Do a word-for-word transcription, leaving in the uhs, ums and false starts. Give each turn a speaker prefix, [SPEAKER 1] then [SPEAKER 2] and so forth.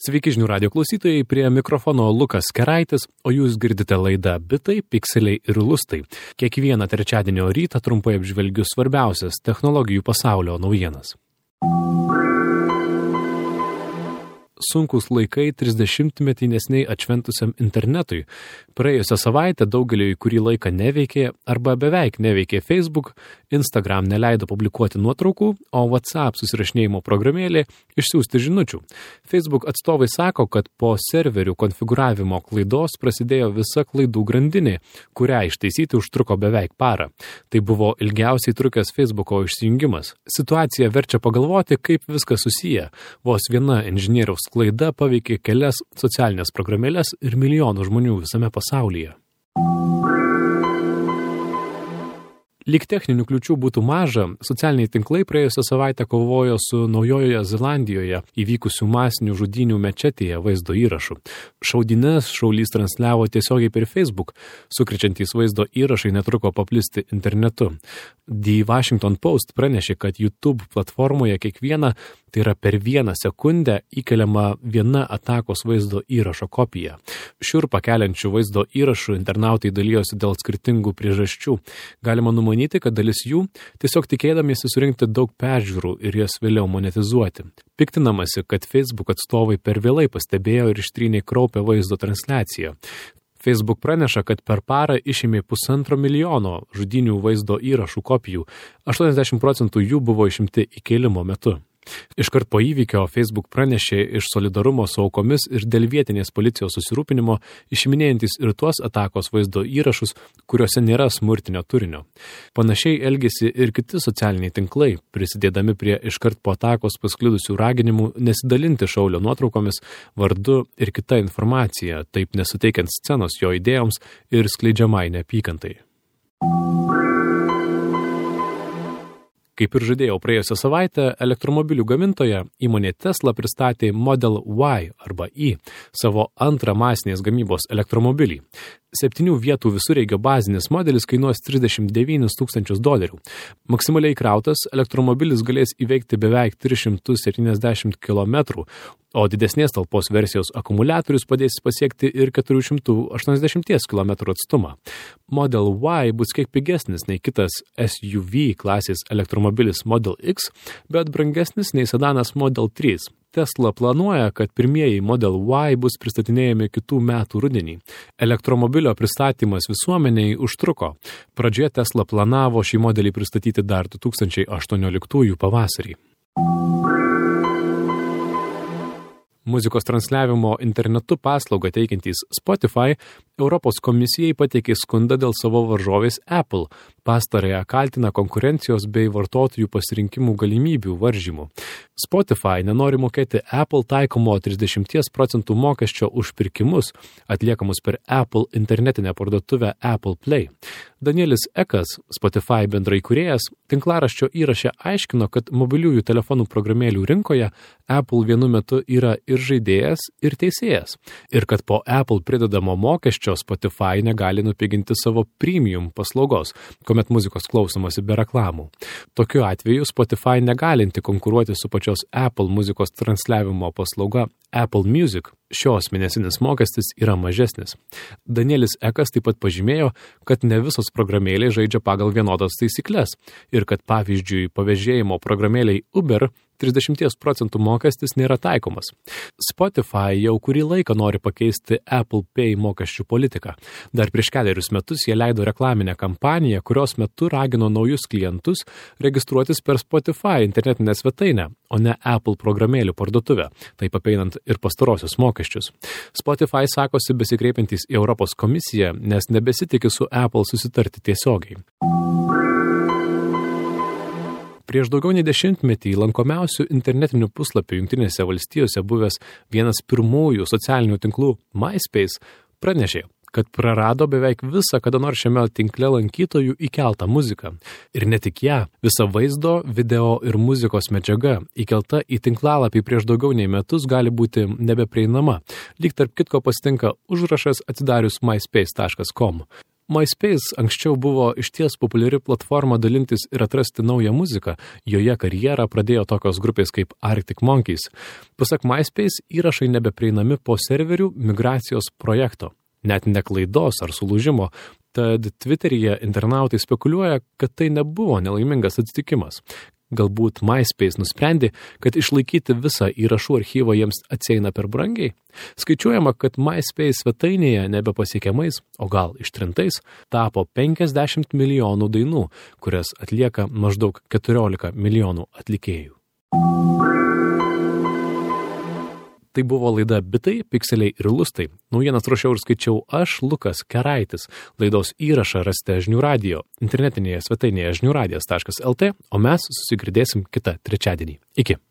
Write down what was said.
[SPEAKER 1] Sveiki žinių radio klausytojai, prie mikrofono Lukas Keraitis, o jūs girdite laidą Bitai, Pikseliai ir Lustai. Kiekvieną trečiadienio rytą trumpai apžvelgiu svarbiausias technologijų pasaulio naujienas. Sunkus laikai trisdešimtmetį neseniai atšventusiam internetui. Praėjusią savaitę daugeliui kurį laiką neveikė arba beveik neveikė Facebook, Instagram neleido publikuoti nuotraukų, o WhatsApp susirašinėjimo programėlė išsiųsti žinučių. Facebook atstovai sako, kad po serverių konfigūravimo klaidos prasidėjo visa klaidų grandinė, kurią ištaisyti užtruko beveik parą. Tai buvo ilgiausiai trukęs Facebooko išsijungimas. Situacija verčia pagalvoti, kaip viskas susiję. Vos viena inžinieriaus klaida paveikė kelias socialinės programėlės ir milijonų žmonių visame pasaulyje. Lyg techninių kliūčių būtų maža, socialiniai tinklai praėjusią savaitę kovojo su Naujojoje Zelandijoje įvykusių masinių žudynių mečetėje vaizdo įrašų. Šaudynes šaulys transliavo tiesiogiai per Facebook, sukrečiantys vaizdo įrašai netruko paplisti internetu. The Washington Post pranešė, kad YouTube platformoje kiekvieną, tai yra per vieną sekundę, įkeliama viena atakos vaizdo įrašo kopija. Šiurpą keliančių vaizdo įrašų internautai dalyjosi dėl skirtingų priežasčių. Galima numanyti, kad dalis jų tiesiog tikėdamiesi surinkti daug peržiūrų ir jas vėliau monetizuoti. Piktinamasi, kad Facebook atstovai per vėlai pastebėjo ir ištrynė kraupią vaizdo transliaciją. Facebook praneša, kad per parą išėmė pusantro milijono žudynių vaizdo įrašų kopijų, aštuoniasdešimt procentų jų buvo išimti įkėlimo metu. Iškart po įvykio Facebook pranešė iš solidarumo su aukomis ir dėl vietinės policijos susirūpinimo, išiminėjantis ir tuos atakos vaizdo įrašus, kuriuose nėra smurtinio turinio. Panašiai elgėsi ir kiti socialiniai tinklai, prisidėdami prie iškart po atakos pasklidusių raginimų nesidalinti šaulio nuotraukomis, vardu ir kita informacija, taip nesuteikiant scenos jo idėjoms ir skleidžiamai neapykantai. Kaip ir žadėjau praėjusią savaitę, elektromobilių gamintoja įmonė Tesla pristatė Model Y arba Y, savo antrą masinės gamybos elektromobilį. Septynių vietų visureigio bazinis modelis kainuos trisdešimt devynis tūkstančius dolerių. Maksimaliai krautas elektromobilis galės įveikti beveik tris šimtus septyniasdešimt kilometrų, o didesnės talpos versijos akumuliatorius padės pasiekti ir keturi šimtai aštuoniasdešimt kilometrų atstumą. Model Y bus kiek pigesnis nei kitas S U V klasės elektromobilis Model X, bet brangesnis nei sedanas Model trys. Tesla planuoja, kad pirmieji Model Y bus pristatinėjami kitų metų rudenį. Elektromobilio pristatymas visuomeniai užtruko. Pradžioje Tesla planavo šį modelį pristatyti dar du tūkstančiai aštuonioliktųjų pavasarį. Muzikos transliavimo internetu paslaugą teikiantys Spotify Europos komisijai pateikė skundą dėl savo varžovės Apple. Pastarąją kaltina konkurencijos bei vartotojų pasirinkimų galimybių varžymų. Spotify nenori mokėti Apple taikomo trisdešimt procentų mokesčio už pirkimus, atliekamus per Apple internetinę parduotuvę Apple Play. Danielis Ekas, Spotify bendraįkūrėjas, tinklaraščio įraše aiškino, kad mobiliųjų telefonų programėlių rinkoje Apple vienu metu yra ir žaidėjas, ir teisėjas. Ir kad po Apple pridedamo mokesčio Spotify negali nupiginti savo premium paslaugos, kuomet muzikos klausomasi be reklamų. Tokiu atveju Spotify negalinti konkuruoti su pačios Apple muzikos transliavimo paslauga Apple Music. Šios mėnesinis mokestis yra mažesnis. Danielis Ekas taip pat pažymėjo, kad ne visos programėlės žaidžia pagal vienodas taisyklės ir kad pavyzdžiui pavėžėjimo programėliai Uber trisdešimt procentų mokestis nėra taikomas. Spotify jau kurį laiką nori pakeisti Apple Pay mokesčių politiką. Dar prieš kelerius metus jie leido reklaminę kampaniją, kurios metu ragino naujus klientus registruotis per Spotify internetinę svetainę, o ne Apple programėlių parduotuvę, taip apeinant ir pastarosius mokesčius. Spotify sakosi besikreipiantys į Europos komisiją, nes nebesitikė su Apple susitarti tiesiogiai. Prieš daugiau nei dešimtmetį lankomiausių internetinių puslapių Jungtinėse valstijose buvęs vienas pirmųjų socialinių tinklų MySpace pranešė, kad prarado beveik visą kada nors šiame tinkle lankytojų įkeltą muziką. Ir ne tik ją, visa vaizdo, video ir muzikos medžiaga įkelta į tinklalapį prieš daugiau nei metus gali būti nebeprieinama. Lyg tarp kitko pasitinka užrašas atsidarius myspace taškas com. MySpace anksčiau buvo išties populiari platforma dalintis ir atrasti naują muziką. Joje karjerą pradėjo tokios grupės kaip Arctic Monkeys. Pasak MySpace, įrašai nebeprieinami po serverių migracijos projekto. Net ne klaidos ar sulūžimo. Tad Twitteryje internautai spekuliuoja, kad tai nebuvo nelaimingas atsitikimas. Galbūt MySpace nusprendė, kad išlaikyti visą įrašų archyvą jiems atsieina per brangiai. Skaičiuojama, kad MySpace svetainėje nebepasiekiamais, o gal ištrintais, tapo penkiasdešimt milijonų dainų, kurias atlieka maždaug keturiolika milijonų atlikėjų. Tai buvo laida Bitai, Pikseliai ir Lustai. Naujienas ruošiau ir skaičiau aš, Lukas Keraitis. Laidos įrašą rasite Žinių radijo internetinėje svetainėje žinių radijas taškas el tė, o mes susigirdėsim kitą trečiadienį. Iki.